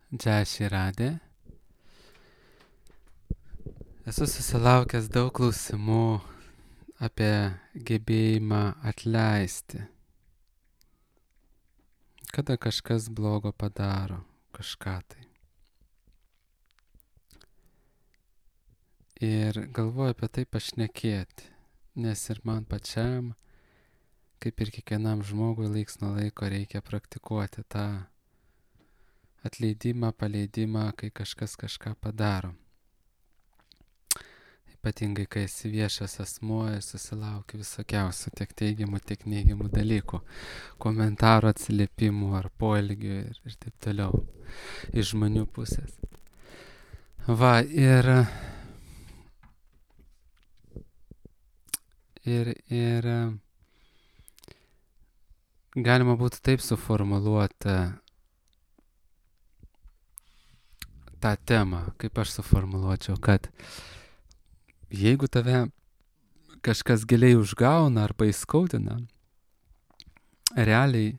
Džešį radė. Esu susilaukęs daug klausimų apie gebėjimą atleisti. Kada kažkas blogo padaro, kažką tai. Ir galvoju apie tai pašnekėti, nes ir man pačiam, kaip ir kiekvienam žmogui, laiks nuo laiko reikia praktikuoti tą atleidimą, paleidimą, kai kažkas kažką padaro. Ypatingai, kai esi viešas asmuo ir susilauki visokiausių tiek teigiamų, tiek neigiamų dalykų, komentarų, atsiliepimų ar poelgių ir taip toliau iš žmonių pusės. Va, ir galima būtų taip suformuluoti tą temą, kaip aš suformuluočiau, kad jeigu tave kažkas giliai užgauna arba įskaudina, realiai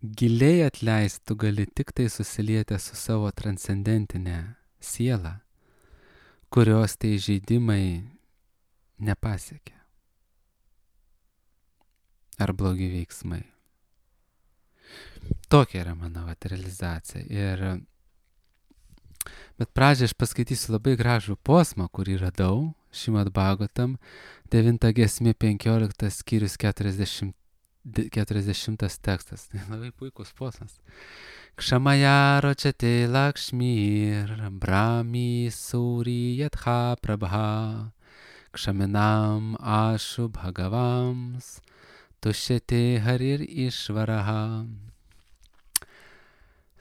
giliai atleisti tu gali tik tai susilietę su savo transcendentinė siela, kurios tai žaidimai nepasiekia. Ar blogi veiksmai. Tokia yra mano realizacija. Bet pradžią aš paskaitysiu labai gražų posmą, kurį radau Šrimad Bhagavatam, 9 giesmė 15 skyrius 40 tekstas. Tai labai puikus posmas. Kšamaya ročate lakšmir brahmi suri yatha prabha kšaminam ašu bhagavams tušete harir išvaraha.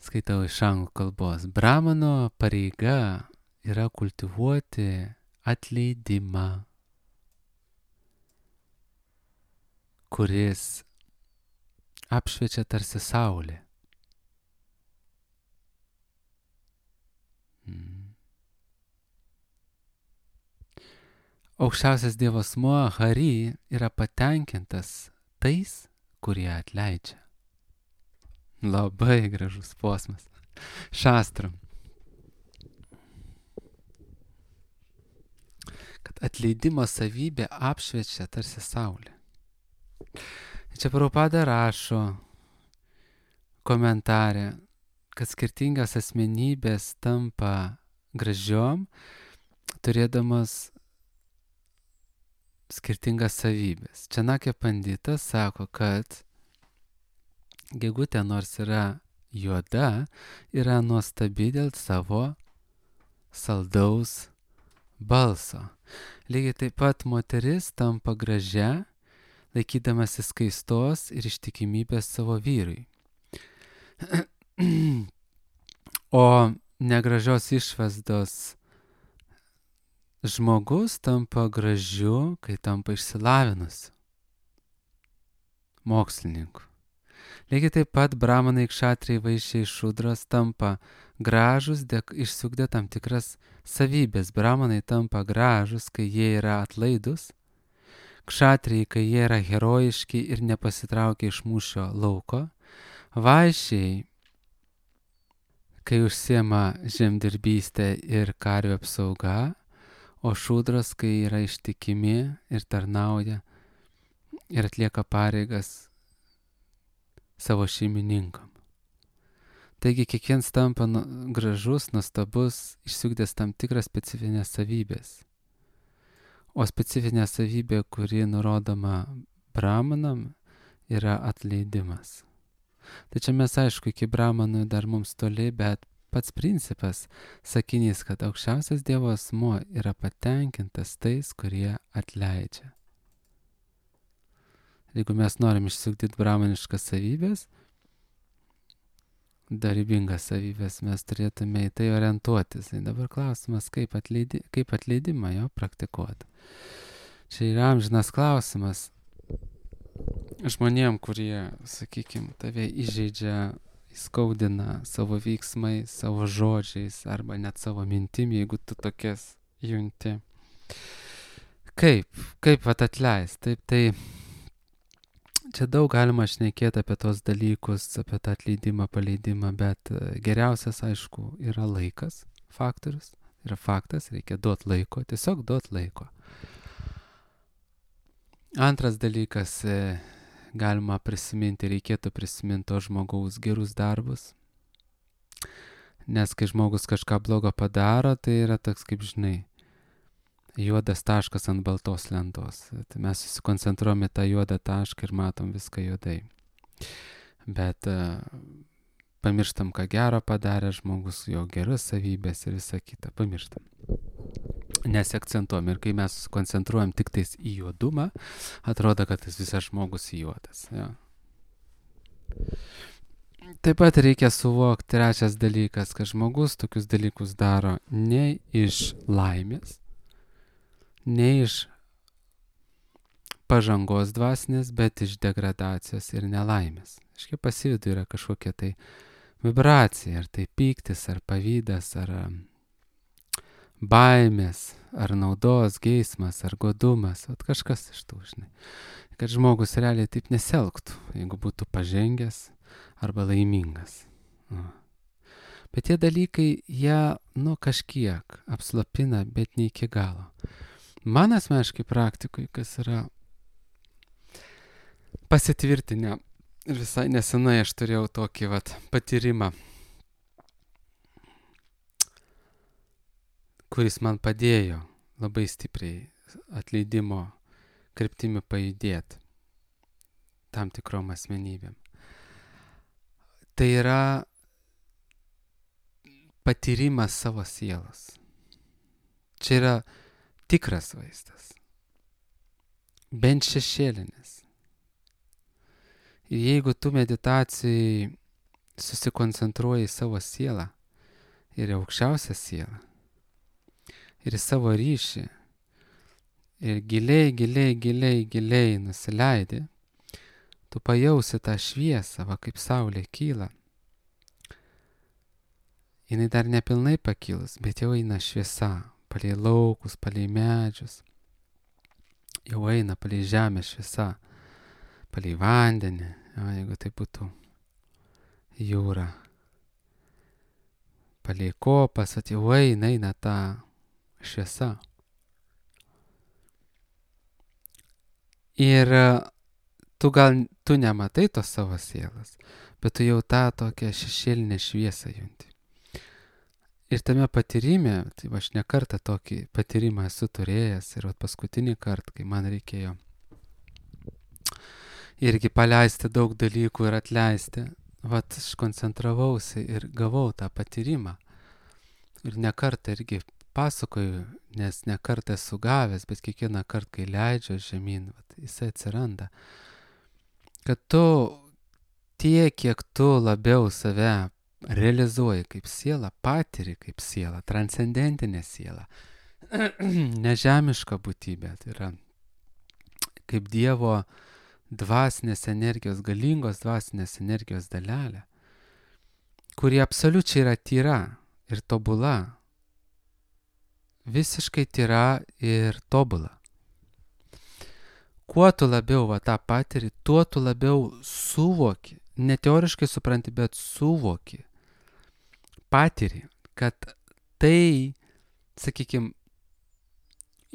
Skaitau iš anglų kalbos. Brahmano pareiga yra kultivuoti atleidimą, kuris apšviečia tarsi saulė. Aukščiausias Dievo asmuo Hari yra patenkintas tais, kurie atleidžia. Labai gražus posmas. Šastram. Kad atleidimo savybė apšviečia tarsi saulė. Čia Prabhupada rašo komentarė, kad skirtingas asmenybės tampa gražiom, turėdamas skirtingas savybės. Čanakya Panditas sako, kad gegutė nors yra juoda, yra nuostabi dėl savo saldaus balso. Lygiai taip pat moteris tampa gražia, laikydamasi skaistos ir ištikimybės savo vyrui. O negražios išvaizdos žmogus tampa gražiu, kai tampa išsilavinusiu mokslininku. Lygiai taip pat brahmanai, kšatriai, vaišiai, šudros tampa gražus, išsiugdė tam tikras savybės. Brahmanai tampa gražus, kai jie yra atlaidus. Kšatriai, kai jie yra herojiški ir nepasitraukia iš mūšio lauko. Vaišiai, kai užsiema žemdirbystė ir karvių apsauga. O šudros, kai yra ištikimi ir tarnauja ir atlieka pareigas savo šeimininkam. Taigi kiekvienas tampa gražus, nuostabus, išsiugdęs tam tikras specifinės savybės. O specifinė savybė, kuri nurodoma brahmanam, yra atleidimas. Tai čia mes aišku, iki brahmanų dar mums toli, bet pats principas, sakinys, kad aukščiausias Dievo asmuo yra patenkintas tais, kurie atleidžia. Jeigu mes norim išsiugdyti brahmaniškas savybės, darybingas savybės, mes turėtume į tai orientuotis. Tai dabar klausimas, kaip atleidimą jo praktikuoti. Čia yra amžinas klausimas žmonėm, kurie, sakykime, tave įžeidžia, įskaudina savo veiksmais, savo žodžiais arba net savo mintim, jeigu tu tokias junti. Kaip atleist? Taip, tai Čia daug galima šnekėti apie tos dalykus, apie tą atleidimą, paleidimą, bet geriausias, aišku, yra laikas, faktorius. Yra faktas, reikia duoti laiko, tiesiog duoti laiko. Antras dalykas, galima prisiminti, reikėtų prisiminti to žmogaus gerus darbus. Nes kai žmogus kažką blogo padaro, tai yra toks, kaip žinai, juodas taškas ant baltos lentos. Tai mes susikoncentruojame tą juodą tašką ir matom viską juodai. Bet pamirštam, ką gero padarė žmogus, jo geras savybės ir visą kitą. Pamirštam. Nesiakcentuojam. Ir kai mes susikoncentruojam tik tais į juodumą, atrodo, kad tas visas žmogus juodas. Ja. Taip pat reikia suvokti trečias dalykas, kad žmogus tokius dalykus daro ne iš laimės, ne iš pažangos dvasinės, bet iš degradacijos ir nelaimės. Aiškiai pasividu yra kažkokia tai vibracija, ar tai pyktis, ar pavydas, ar baimės, ar naudos, geismas, ar godumas, vat kažkas iš tų, žinai. Kad žmogus realiai taip nesielgtų, jeigu būtų pažengęs arba laimingas. Bet tie dalykai, jie, kažkiek apslopina, bet ne iki galo. Man asmeniškai praktikui, kas yra pasitvirtinę, ir visai nesenai aš turėjau tokį patyrimą, kuris man padėjo labai stipriai atleidimo kryptimi pajudėti tam tikrom asmenybėm. Tai yra patyrimas savo sielos. Čia yra tikras vaizdas, bent šešėlinis. Ir jeigu tu meditacijai susikoncentruoji į savo sielą ir į aukščiausią sielą ir į savo ryšį ir giliai nusileidi, tu pajausi tą šviesą, kaip saulė kyla. Jinai dar nepilnai pakilus, bet jau eina šviesa. Palei laukus, palei medžius, jau eina palei žemę šviesa, palei vandenį, jeigu tai būtų jūra, palei kopas, jau eina ta šviesa. Ir tu nematai tos savo sielas, bet tu jau tą tokią šešėlinę šviesą junti. Ir tame patyrime, tai aš ne kartą tokį patyrimą esu turėjęs ir paskutinį kartą, kai man reikėjo irgi paleisti daug dalykų ir atleisti, aš koncentravausi ir gavau tą patyrimą. Ir ne kartą irgi pasakoju, nes ne kartą esu gavęs, bet kiekvieną kartą, kai leidžiu žemyn, jisai atsiranda. Kad tu tiek, kiek tu labiau save realizuoji kaip sielą, patiri kaip sielą, transcendentinę sielą, nežemišką būtybę, tai yra kaip Dievo dvasinės energijos, galingos dvasinės energijos dalelė, kuri absoliučiai yra tyra ir tobula, visiškai tyra ir tobula. Kuo tu labiau tą patiri, tuo tu labiau suvoki, ne teoriškai supranti, bet suvoki, patiri, kad tai, sakykime,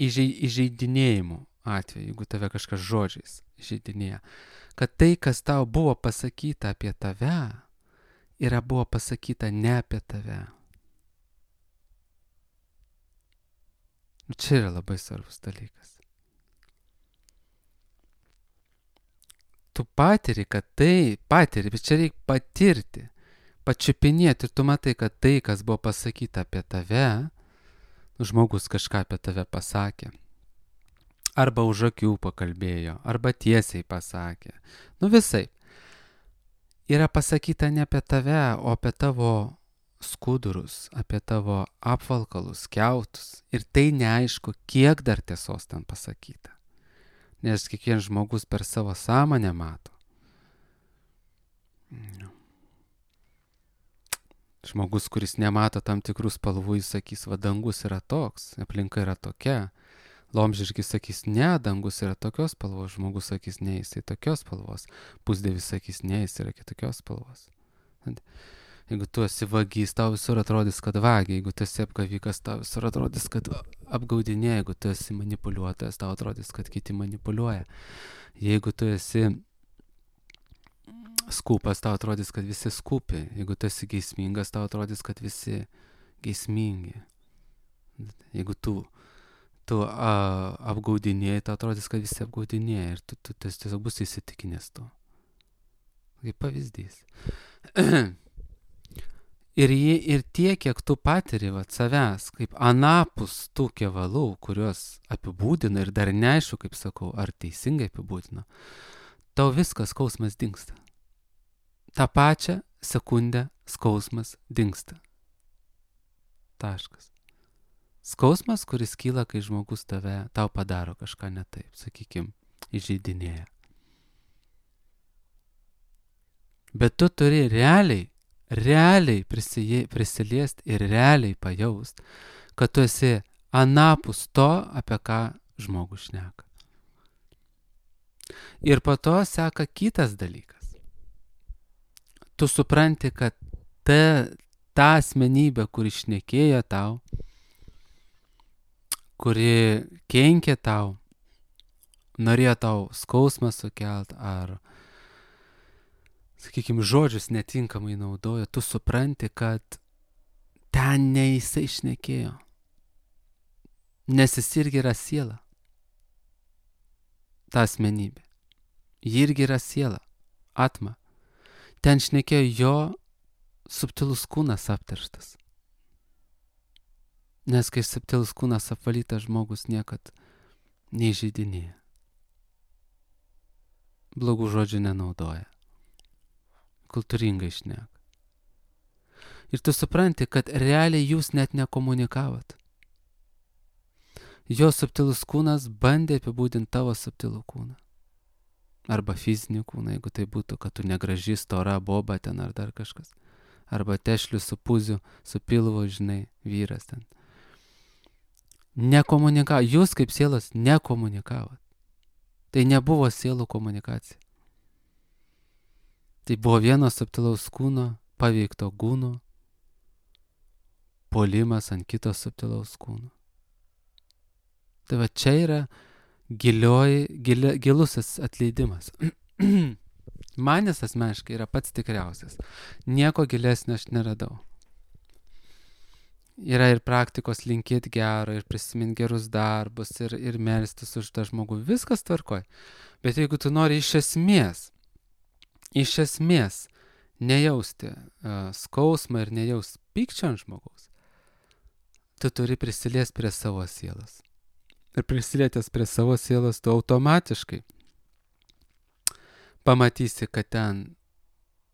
įžeidinėjimų atveju, jeigu tave kažkas žodžiais įžeidinėja, kad tai, kas tau buvo pasakyta apie tave, buvo pasakyta ne apie tave. Čia yra labai svarbus dalykas. Tu patiri, kad tai patiri, bet čia reikia patirti, pačiupinėti ir tu matai, kad tai, kas buvo pasakyta apie tave, žmogus kažką apie tave pasakė, arba už akių pakalbėjo, arba tiesiai pasakė, visai, yra pasakyta ne apie tave, o apie tavo skudurus, apie tavo apvalkalus, kiautus, ir tai neaišku, kiek dar tiesos ten pasakyta. Nes kiekvienas žmogus per savo sąmonę mato. Žmogus, kuris nemato tam tikrų spalvų, jis sakys, dangus yra toks, aplinka yra tokia, Laumžirgis sakys, ne, dangus yra tokios spalvos, žmogus sakys, ne, jisai tokios spalvos, pusdievis sakys, ne, jis yra kitokios spalvos. Jeigu tu esi vagys, tau visur atrodys, kad vagia, jeigu tu esi apgavikas, tau visur atrodys, kad apgaudinė, jeigu tu esi manipuliuotojas, tau atrodys, kad kiti manipuliuoja. Jeigu tu esi skūpas, tau atrodys, kad visi skūpi. Jeigu tu esi geismingas, tau atrodys, kad visi geismingi. Jeigu tu apgaudinėjai, tau atrodys, kad visi apgaudinėjai ir tu tiesiog bus įsitikinęs tu. Kaip pavyzdys. Ir tiek, kiek tu patiri savęs, kaip anapus tų kevalų, kuriuos apibūdina ir dar neaišku, kaip sakau, ar teisingai apibūdina, tau viskas skausmas dingsta. Ta pačią sekundę skausmas dingsta. Taškas. Skausmas, kuris kyla, kai žmogus tau padaro kažką ne taip, sakykime, įžeidinėja. Bet tu turi realiai prisiliest ir realiai pajaust, kad tu esi anapus to, apie ką žmogus šneka. Ir po to seka kitas dalykas. Tu supranti, kad ta asmenybė, kuri šnekėjo tau, kuri kenkė tau, norėjo tau skausmą sukelt ar, sakykime, žodžius netinkamai naudojo, tu supranti, kad ten ne jisai šnekėjo. Nes jis irgi yra siela. Ta asmenybė. Ji irgi yra siela. Atma. Ten šnekėjo jo subtilus kūnas apterštas. Nes kai subtilus kūnas apvalytas, žmogus niekad neįžeidinėja. Blogų žodžių nenaudoja. Kultūringai šneka. Ir tu supranti, kad realiai jūs net nekomunikavot. Jo subtilus kūnas bandė apibūdinti tavo subtilų kūną. Arba fizinį kūną, jeigu tai būtų, kad tu negraži, stora, boba ten ar dar kažkas. Arba tešlių su puziu, su pilvu, žinai, vyras ten. Nekomunikavo. Jūs kaip sielos nekomunikavot. Tai nebuvo sielų komunikacija. Tai buvo vieno subtilaus kūno, paveikto kūno, puolimas ant kito subtilaus kūno. Tai va čia yra gilusis atleidimas. Manis asmeniškai yra pats tikriausias. Nieko gilesnio aš neradau. Yra ir praktikos linkėti gero, ir prisiminti gerus darbus, ir melstis už tą žmogų. Viskas tvarkoj. Bet jeigu tu nori iš esmės nejausti skausmą ir nejausti pykčio ant žmogaus, tu turi prisiliesti prie savo sielos. Ir prisilietęs prie savo sielos, tu automatiškai pamatysi, kad ten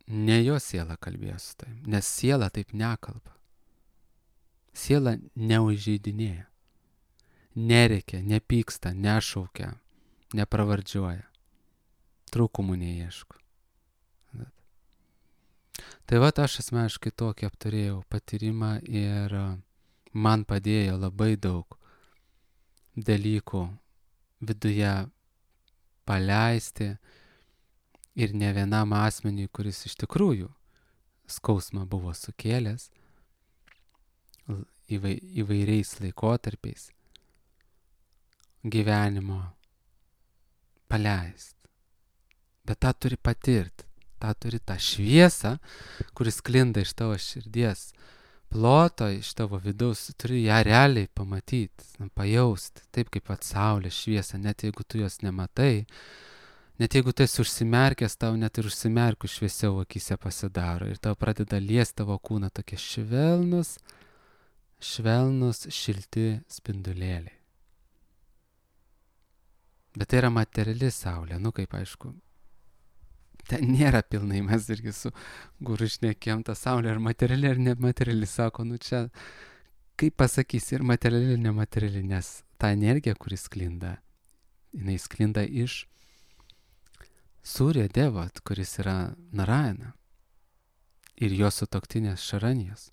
ne jo siela kalbėjo su tavim, nes siela taip nekalba. Siela neužeidinėja, nerėkia, nepyksta, nešaukia, nepravardžiuoja, trūkumų neieško. Tai va, aš asmeniškai tokį apturėjau patyrimą ir man padėjo labai daug dalykų viduje paleisti ir ne vienam asmeniui, kuris iš tikrųjų skausmą buvo sukėlęs įvairiais laikotarpiais gyvenimo paleist. Bet tą turi patirti, tą šviesą, kuris sklinda iš tavo širdies ploto, iš tavo vidaus, turi ją realiai pamatyti, pajausti, taip kaip pat saulės šviesą, net jeigu tu jos nematai, net jeigu tu esi užsimerkęs, tau net ir užsimerkus šviesiau akyse pasidaro ir tau pradeda liesti tavo kūną tokie švelnus, šilti spindulėliai. Bet tai yra materiali saulė, kaip aišku, ten nėra pilnai, mes irgi su guru šnekėjom, ta saulė ar materiali ar nemateriali, sako, čia, kaip pasakysi, ir materiali ir nemateriali, nes ta energija, kuri sklinda, jinai sklinda iš Surya Devat, kuris yra Narayana ir jo sutuoktinės Šaranijos.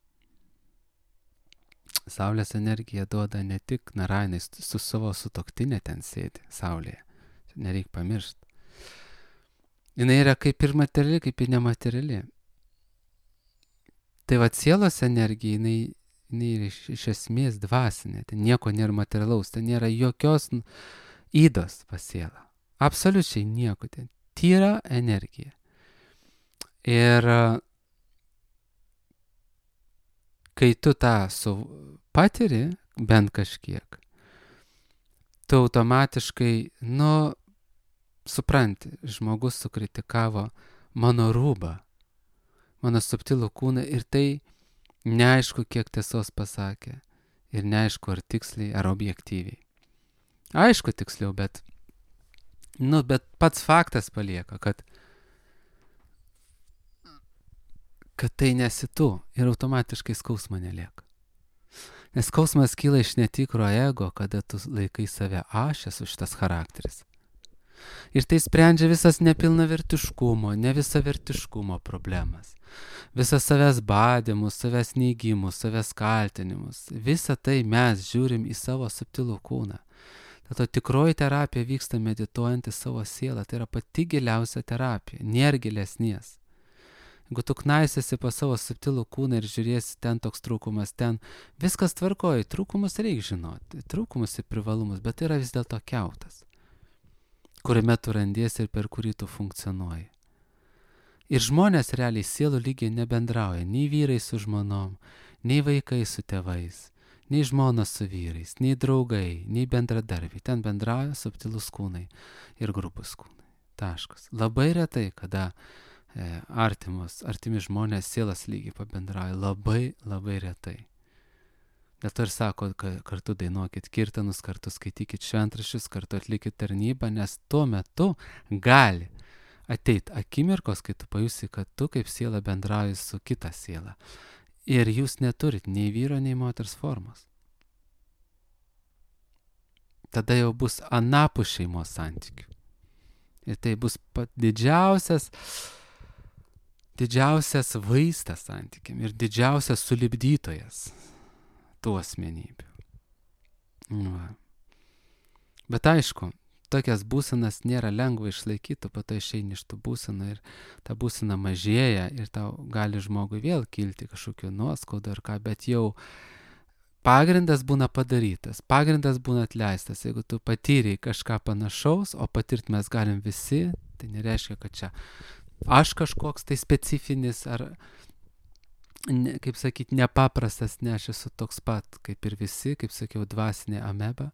Saulės energija duoda ne tik Narainai, su savo sutuoktinė ten sėdi Saulėje. Nereik pamiršti. Jis yra kaip ir materiali, kaip ir nemateriali. Tai va sielos energija, jinai yra iš esmės dvasinė. Ten nieko nėra materialaus, ten nėra jokios įdos pas sielą. Absoliučiai nieko ten. Tyra energija. Ir kai tu tą patiri, bent kažkiek, tu automatiškai, supranti, žmogus sukritikavo mano rūbą, mano subtilų kūną ir tai neaišku, kiek tiesos pasakė ir neaišku, ar tiksliai, ar objektyviai. Aišku tiksliau, bet pats faktas palieka, kad tai nesi tu ir automatiškai skausmo nelieka. Nes skausmas kyla iš netikro ego, kada tu laikai save aš esu šitas charakteris. Ir tai sprendžia visas nepilnavertiškumo, nevisavertiškumo problemas. Visas savęs badymus, savęs neigimus, savęs kaltinimus. Visą tai mes žiūrim į savo subtilų kūną. Tato tikroji terapija vyksta medituojant į savo sielą. Tai yra pati giliausia terapija, nėra gilesnės. Jeigu tu knaisiesi po savo subtilų kūną ir žiūrėsi ten toks trūkumas, ten viskas tvarkoja, trūkumus reikia žinoti, trūkumus ir privalumus, bet tai yra vis dėlto kiautas, kuriame tu randiesi ir per kurį tu funkcionuoji. Ir žmonės realiai sielų lygiai nebendrauja, nei vyrai su žmonom, nei vaikai su tėvais, nei žmonos su vyrais, nei draugai, nei bendradarbiai. Ten bendrauja subtilus kūnai ir grubus kūnai. Taškas. Labai retai, kada artimi žmonės sielas lygiai pabendrauja. Labai, labai retai. Dėl to ir sako, kad kartu dainuokit kirtanus, kartu skaitykit šventraščius, kartu atlikit tarnybą, nes tuo metu gali ateiti akimirkos, kai tu pajusi, kad tu kaip siela bendrauji su kita siela. Ir jūs neturit nei vyro, nei moters formos. Tada jau bus anapus šeimos santykių. Ir tai bus didžiausias vaistas santykiam ir didžiausias sulibdytojas tų asmenybių. Bet aišku, tokias būsenas nėra lengva išlaikyti, po to išeini iš tų būsenų ir ta būsena mažėja ir tau gali žmogui vėl kilti kažkokiu nuoskaudu ar ką, bet jau pagrindas būna padarytas, pagrindas būna atleistas. Jeigu tu patyrei kažką panašaus, o patirt mes galim visi, tai nereiškia, kad čia aš kažkoks tai specifinis ar, kaip sakyti, nepaprastas, ne, aš esu toks pat kaip ir visi, kaip sakiau, dvasinė ameba,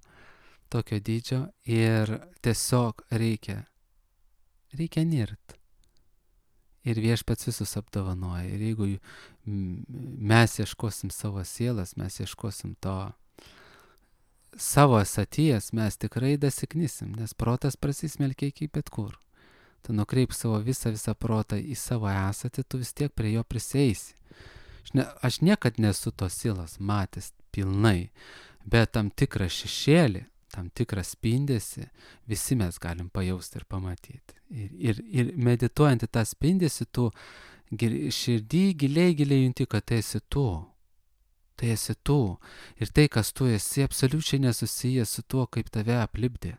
tokio dydžio ir tiesiog reikia nirt. Ir Viešpats visus apdovanoja. Ir jeigu mes ieškosim savo sielas, mes ieškosim to savo esaties, mes tikrai dasiknysim, nes protas prasismelkia iki bet kur. Tu nukreip savo visą protą į savo esatį, tu vis tiek prie jo prisieisi. Aš niekad nesu tos sielos matęs pilnai, bet tam tikrą šešėlį, tam tikrą spindesį visi mes galim pajausti ir pamatyti. Ir medituojant į tą spindesį, tu širdį giliai junti, kad tai esi tu. Tai esi tu. Ir tai, kas tu esi, absoliučiai nesusijęs su tuo, kaip tave aplipdė.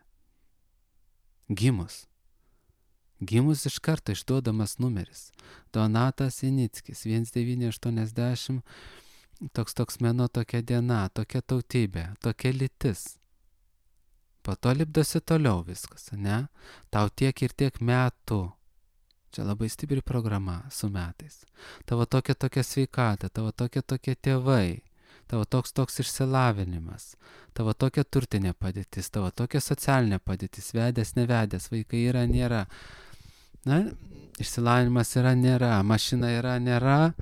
Gimus iš karto išduodamas numeris. Donatas Inickis, 1980, toks mėnuo, tokia diena, tokia tautybė, tokia lytis. Po to lipdosi toliau viskas, ne? Tau tiek ir tiek metų. Čia labai stipri programa su metais. Tavo tokia sveikata, tavo tokie tėvai, tavo toks išsilavinimas, tavo tokia turtinė padėtis, tavo tokia socialinė padėtis, vedęs, nevedęs, vaikai yra, nėra. Na, išsilavinimas yra, nėra, mašina yra, nėra,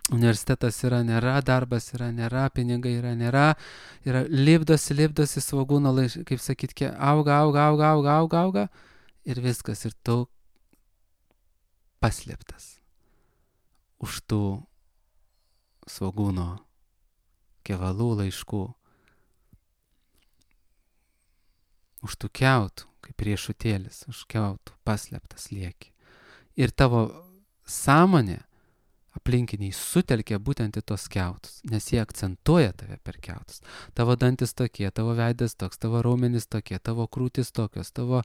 universitetas yra, nėra, darbas yra, nėra, pinigai yra, nėra, lipdosi svogūno, kaip sakyt, auga ir viskas, ir tu paslėptas už tų svogūno kevalų laiškų, už tų kiautų, kaip riešutėlis, už kiautų paslėptas lieki. Ir tavo sąmonė aplinkiniai sutelkia būtent į tos kiautus, nes jie akcentuoja tave per kiautus. Tavo dantis tokie, tavo veidas toks, tavo raumenys tokie, tavo krūtis tokios, tavo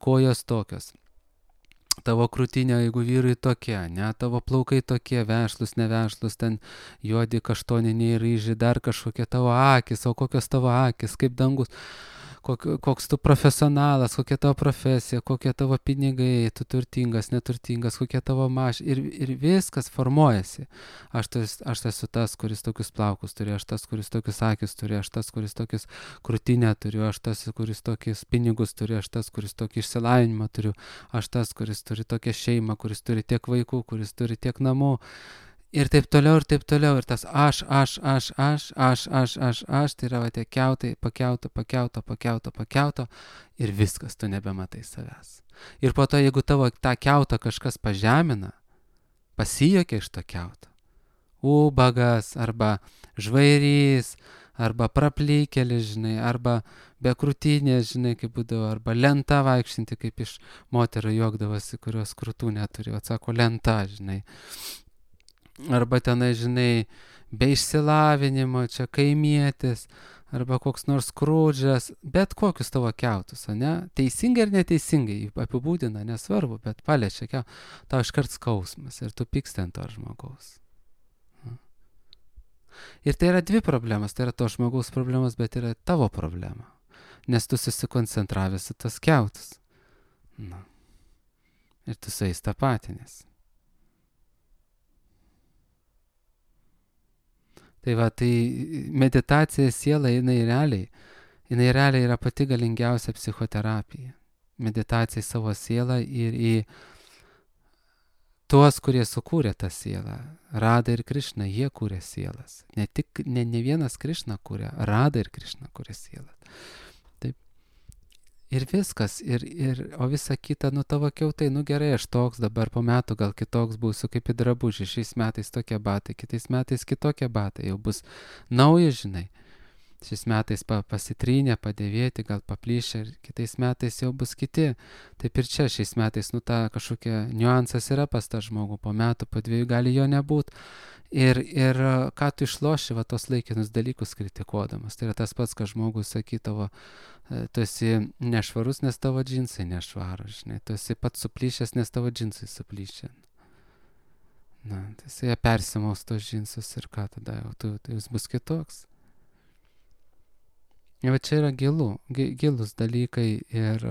kojos tokios. Tavo krūtinė, jeigu vyrai tokie, ne, tavo plaukai tokie, vešlus, nevešlus, ten juodi, kaštoniniai, ryžiai, dar kažkokie tavo akis, o kokios tavo akis, kaip dangus, koks tu profesionalas, kokia tavo profesija, kokie tavo pinigai, tu turtingas, neturtingas, kokie tavo ir viskas formuojasi. Aš esu tas, kuris tokius plaukus turi, aš tas, kuris tokius akis turi, aš tas, kuris tokius krūtinę turiu, aš tas, kuris tokius pinigus turi, aš tas, kuris tokį išsilavinimą turiu, aš tas, kuris turi tokią šeimą, kuris turi tiek vaikų, kuris turi tiek namų. Ir taip toliau, ir tas aš, tai yra tie kiautai, pakiauto, ir viskas, tu nebematai savęs. Ir po to, jeigu tavo tą kiautą kažkas pažemina, pasijuokia iš to kiauto, ubagas, arba žvairys, arba praplykėlis, žinai, arba be krūtinės, žinai, kaip būdavo, arba lenta vaikštinti, kaip iš moterų juokdavosi, kurios krūtų neturi, atsako lenta, žinai. Arba tenai, žinai, be išsilavinimo, čia kaimietis, arba koks nors Skrudžas, bet kokius tavo kiautus, ne? Teisingai ir neteisingai apibūdina, nesvarbu, bet paliečia kiautą, tau iškart skausmas ir tu pyksti ant to žmogaus. Ir tai yra dvi problemas, tai yra to žmogaus problemas, bet yra tavo problema, nes tu susikoncentravęs į tas kiautus. Na. Ir tu su jais tapatinės. Tai va, tai meditacija siela, jinai realiai yra pati galingiausia psichoterapija. Meditacija į savo sielą ir į tuos, kurie sukūrė tą sielą. Rada ir Krišna, jie kūrė sielas. Ne vienas Krišna kūrė, Rada ir Krišna kūrė sielas. Taip. Ir viskas, o visa kita, tavo kiautai, gerai, aš toks, dabar po metų gal kitoks būsiu, kaip į drabužį, šiais metais tokie batai, kitais metais kitokie batai, jau bus nauji, žinai. Šiais metais pasitrynė, padėvėti, gal paplyšę, ir kitais metais jau bus kiti. Taip ir čia šiais metais, ta kažkokia niuansas yra pas tą žmogų, po metų, po 2 gali jo nebūti. Ir ką tu išloši, va, tos laikinus dalykus kritikuodamas. Tai yra tas pats, kad žmogus sakydavo, tu esi nešvarus, nes tavo džinsai nešvarūs, žinai. Tu esi pats suplyšęs, nes tavo džinsai suplyšę. Na, tai jis persimaus tos džinsus ir ką tada jau, jis bus kitoks. Ir va čia yra gilus dalykai ir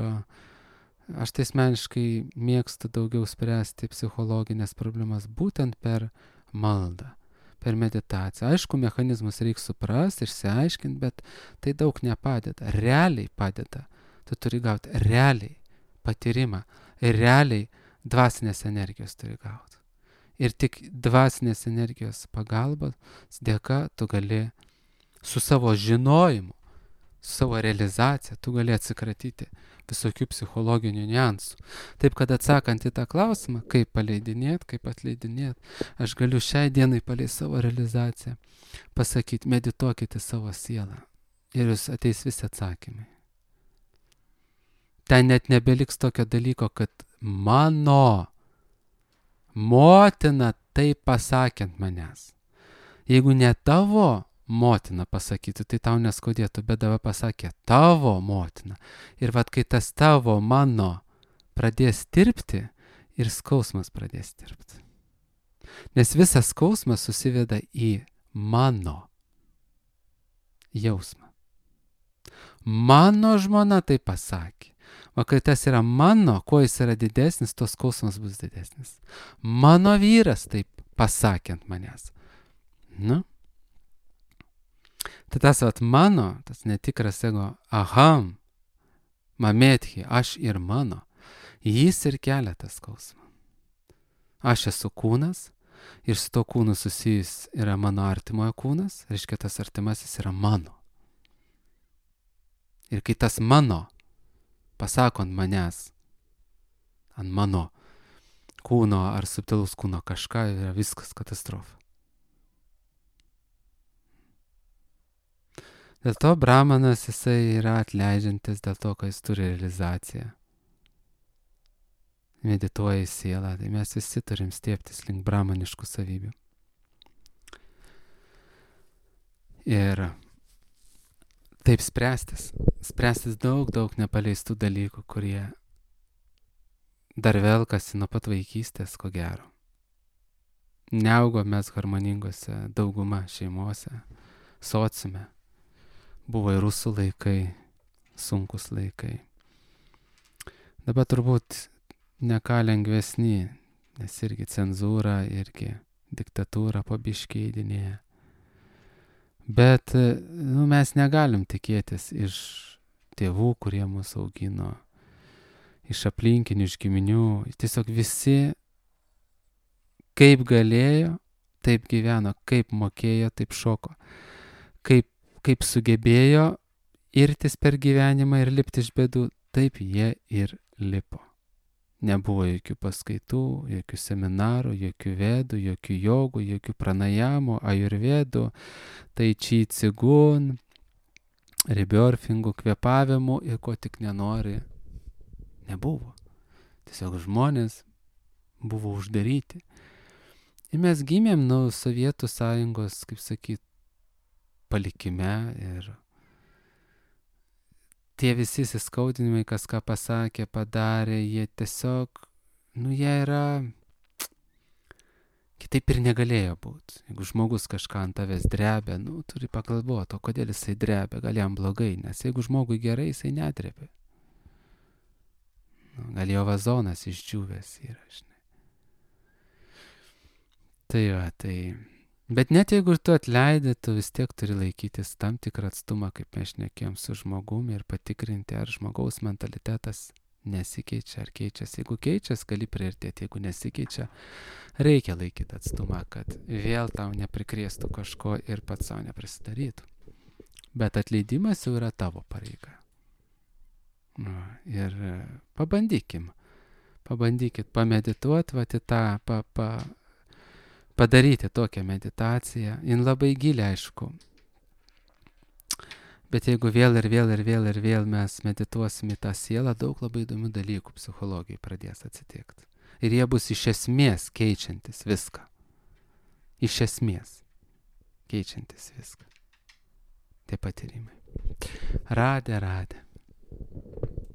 aš tai asmeniškai mėgstu daugiau spręsti psichologinės problemas būtent per maldą, per meditaciją. Aišku, mechanizmus reikia suprasti, išsiaiškinti, bet tai daug nepadeda. Realiai padeda. Tu turi gauti realiai patyrimą ir realiai dvasinės energijos turi gauti. Ir tik dvasinės energijos pagalbos dėka tu gali su savo žinojimu, su savo realizacija, tu gali atsikratyti visokių psichologinių niuansų. Taip, kad atsakant į tą klausimą, kaip paleidinėti, kaip atleidinėti, aš galiu šiai dienai palei savo realizaciją pasakyti, medituokite savo sielą ir jūs ateis visi atsakymai. Ten net nebeliks tokio dalyko, kad mano motina taip pasakė ant manęs. Jeigu ne tavo motina pasakytų, tai tau neskaudėtų, bet dabar pasakė tavo motina. Ir vat kai tas tavo, mano pradės tirpti, ir skausmas pradės tirpti. Nes visas skausmas susiveda į mano jausmą. Mano žmona tai pasakė. O kai tas yra mano, kuo jis yra didesnis, tos skausmas bus didesnis. Mano vyras taip pasakė ant manęs. Nu? Tai tas mano, tas netikras ego, aham, mametchi, aš ir mano, jis ir kelia tą skausmą. Aš esu kūnas ir su to kūnu susijus yra mano artimojo kūnas, reiškia tas artimasis yra mano. Ir kai tas mano pasako ant manęs, ant mano kūno ar subtilus kūno kažką, yra viskas katastrofa. Dėl to brahmanas jisai yra atleidžiantis dėl to, kad jis turi realizaciją. medituoja į sielą, tai mes visi turim stieptis link brahmaniškų savybių. Ir taip spręstis daug nepaleistų dalykų, kurie dar velkasi nuo pat vaikystės, ko gero. Neaugo mes harmoningose dauguma šeimose, sociume. Buvo ir rusų laikai, sunkus laikai. Dabar turbūt ne ką lengvesni, nes irgi cenzūra, irgi diktatūra po biškį eidinėja. Bet mes negalim tikėtis iš tėvų, kurie mus augino, iš aplinkinių, iš giminių. Tiesiog visi kaip galėjo, taip gyveno, kaip mokėjo, taip šoko. Kaip sugebėjo irtis per gyvenimą ir lipti iš bėdų, taip jie ir lipo. Nebuvo jokių paskaitų, jokių seminarų, jokių vedų, jokių jogų, jokių pranajamų, ajurvedų, tai chi cigun, rebirthingų, kvėpavimų ir ko tik nenori. Nebuvo. Tiesiog žmonės buvo uždaryti. Ir mes gimėm nuo Sovietų sąjungos, kaip sakyt, palikime ir tie visi įsiskaudinimai, kas ką pasakė, padarė, jie tiesiog, jie yra, kitaip ir negalėjo būti. Jeigu žmogus kažką ant tavęs drebia, turi pagalvoti, o kodėl jisai drebia, gal jam blogai, nes jeigu žmogui gerai, jisai nedrebia. Gal jo vazonas išdžiūvęs yra, žinai. Tai. Bet net jeigu tu atleidai, tu vis tiek turi laikytis tam tikrą atstumą, kaip mes šnekėjom su žmogumi ir patikrinti, ar žmogaus mentalitetas nesikeičia, ar keičiasi. Jeigu keičiasi, gali priartėti, jeigu nesikeičia, reikia laikyti atstumą, kad vėl tau neprikrėstų kažko ir pats savo neprisidarytų. Bet atleidimas jau yra tavo pareiga. Ir pabandykit pamedituoti, padaryti tokią meditaciją. Jin labai giliai, aišku. Bet jeigu vėl mes medituosim į tą sielą, daug labai įdomių dalykų psichologijai pradės atsitikti. Ir jie bus iš esmės keičiantis viską. Iš esmės keičiantis viską. Tie patyrimai. Radė.